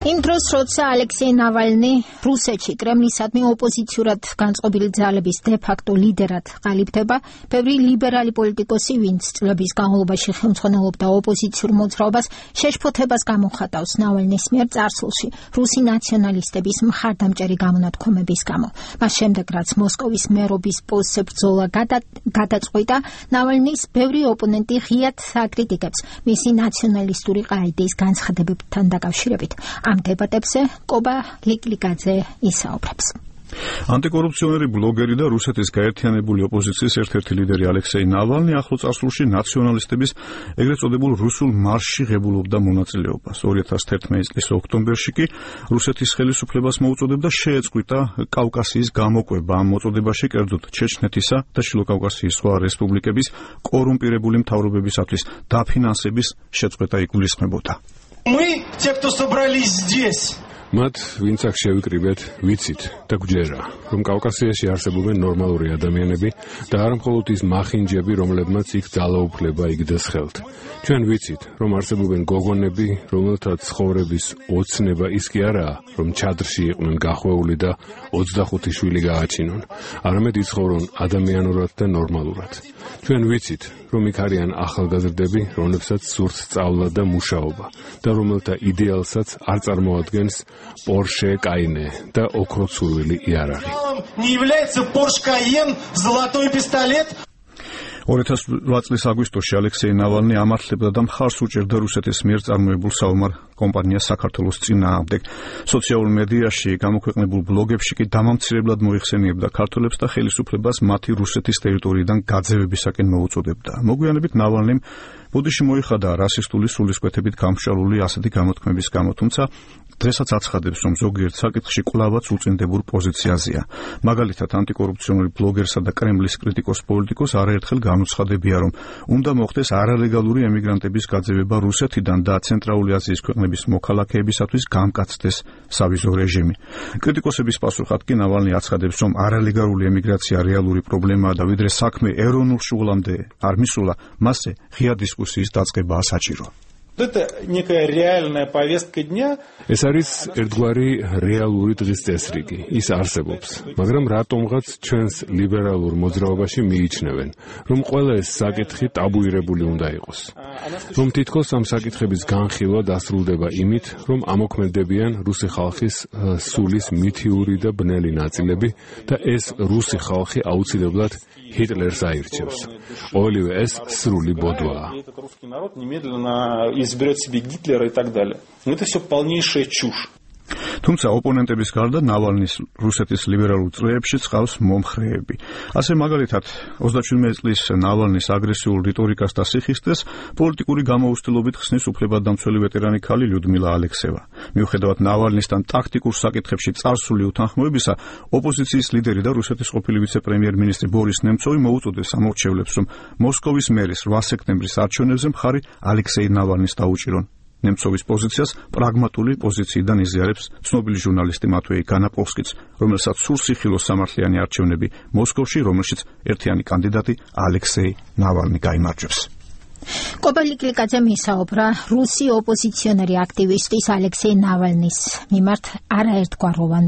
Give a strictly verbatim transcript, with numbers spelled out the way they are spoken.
იმ დროს, როცა ალექსეი ნავალნი რუსეთში კრემლისადმი ოპოზიციურად განწყობილი ძალების დე-ფაქტო ლიდერად ყალიბდება, ბევრი ლიბერალი პოლიტიკოსი, ვინც წლების განმავლობაში ხელმძღვანელობდა ოპოზიციურ მოძრაობას, შეშფოთებას გამოხატავს ნავალნის მიერ წარსულში რუსი ნაციონალისტების მხარდამჭერი გამონათქვამების გამო. მას შემდეგ, რაც მოსკოვის მერობის პოსტზე ბრძოლა გადაწყვიტა, ნავალნის ბევრი ოპონენტი ღიად აკრიტიკებს მისი ნაციონალისტური ყაიდის განცხადებებთან დაკავშირებით. ამ დებატებზე კობა ლიკლიკაძე ისაუბრებს. ანტიკორუფციონერი ბლოგერი და რუსეთის გაერთიანებული ოპოზიციის ერთ-ერთი ლიდერი ალექსეი ნავალნი ახლო წარსულში ნაციონალისტების ეგრეთ წოდებულ რუსულ მარშში ღებულობდა მონაწილეობას. ორი ათას თერთმეტი წლის ოქტომბერში კი რუსეთის ხელისუფლებას მოუწოდებდა შეეწყვიტა კავკასიის გამოკვება. ამ მოწოდებაში კერძოდ ჩეჩნეთისა და შილო კავკასიის სხვა რესპუბლიკების კორუმპირებული მთავრობებისათვის დაფინანსების შეწყვეტა იგულისხმებოდა. Мы, те, кто собрались здесь. მათ ვინც აქ შევიკრიბეთ, ვიცით და გვჯერა, რომ კავკასიაში არსებობენ ნორმალური ადამიანები და არა მხოლოდ ის მახინჯები, რომლებმაც იქ ძალაუფლება იგდეს ხელთ. ჩვენ ვიცით, რომ არსებობენ გოგონები, რომელთა ცხოვრების ოცნება ის კი არაა, რომ ჩადრში იყვნენ გახვეული და ოცდახუთი შვილი გააჩინონ, არამედ იცხოვრონ ადამიანურად და ნორმალურად. ჩვენ ვიცით, რომ იქ არიან ახალგაზრდები, რომლებსაც სურთ სწავლა და მუშაობა და რომელთა იდეალსაც არ წარმოადგენს Porsche Cayenne და ოქროცურვილი იარაღი. Не является Porsche Cayenne золотой пистолет. ორი ათას ოთხ წლის აგვისტოში ალექსეი ნავალნი ამართლებდა და მხარს უჭერდა რუსეთის მიერ წარმოებულ საომარ კომპანიას საქართველოს წინააღმდეგ. სოციალურ მედიაში გამოქვეყნებულ ბლოგებში კი დამამცირებლად მოიხსენიებდა ქართველებს და ხელისუფლებას მათი რუსეთის ტერიტორიიდან გაძევებისაკენ მოუწოდებდა. მოგვიანებით ნავალნიმ ბოდიში მოიხადა რასისტული სულისკვეთებით გამშვალული ასეთი გამოთქმების გამო, თუმცა დღესაც აცხადებს, რომ ზოგიერთ საკითხში კვლავაც უწინდებურ პოზიციაზეა. მაგალითად, ანტიკორუფციონერი ბლოგერსა და კრემლის კრიტიკოს პოლიტიკოს არაერთხელ განუცხადებია, რომ უნდა მოხდეს არალეგალური ემიგრანტების გაძევება რუსეთიდან და ცენტრალური აზიის ქვეყნების მოქალაქეებისათვის გამკაცდეს სავიზო რეჟიმი. კრიტიკოსების პასუხად კი ნავალნი აცხადებს, რომ არალეგალური ემიგრაცია რეალური პრობლემაა და ვიდრე საქმე ეროვნულ შუღლამდე არ მისულა, მასზე ღია დისკუსიის დაწყებაა საჭირო. Это некая реальная повестка дня. ეს არის ერთგვარი რეალური დღის წესრიგი. ის არსებობს, მაგრამ რატომღაც ჩვენს ლიბერალურ მოძრაობაში მიიჩნევენ, რომ ყველა ეს საკითხი ტაბუირებული უნდა იყოს. რომ თითქოს ამ საკითხების განხილვა დასრულდება იმით, რომ ამოქმედებიან რუსი ხალხის სულის მითიური და ბნელი ნაწილები და ეს რუსი ხალხი აუცილებლად ჰიტლერს აირჩევს. ყოველივე ეს სრული ბოდვაა. изберет себе Гитлера и так далее. Это все полнейшая чушь. თუმცა ოპონენტების გარდა ნავალნის რუსეთის ლიბერალურ წრეებში წყავს მომხრეები. ასე მაგალითად, ოცდაშვიდმეტი წლის ნავალნის აგრესიულ რიტორიკას და სიხისტეს პოლიტიკური გამოუცდილობით ხსნის უფლებადამცველი ვეტერანი ქალი ლიუდმილა ალექსევა. მიუხედავად ნავალნისთან ტაქტიკურ საკითხებში წარსული უთანხმოებისა, ოპოზიციის ლიდერი და რუსეთის ყოფილი ვიცე-პრემიერ-მინისტრი ბორის ნემცოვი მოუწოდეს ამორჩევლებს, რომ მოსკოვის მერის რვა სექტემბრის არჩევნებზე მხარი ალექსეი ნავალნის დაუჭირონ. ნემცოვის პოზიციას პრაგმატული პოზიციიდან იზიარებს ცნობილი ჟურნალისტი მატვეი განაპოვსკიც, რომელსაც სულსიხილოს სამართლიანი არჩევნები მოსკოვში, რომელშიც ერთიანი კანდიდატი ალექსეი ნავალნი გაიმარჯვებს. კობა ლიკლიკაძემ ისაუბრა რუსი ოპოზიციონერი აქტივისტის ალექსეი ნავალნის მიმართ არაერთგვაროვან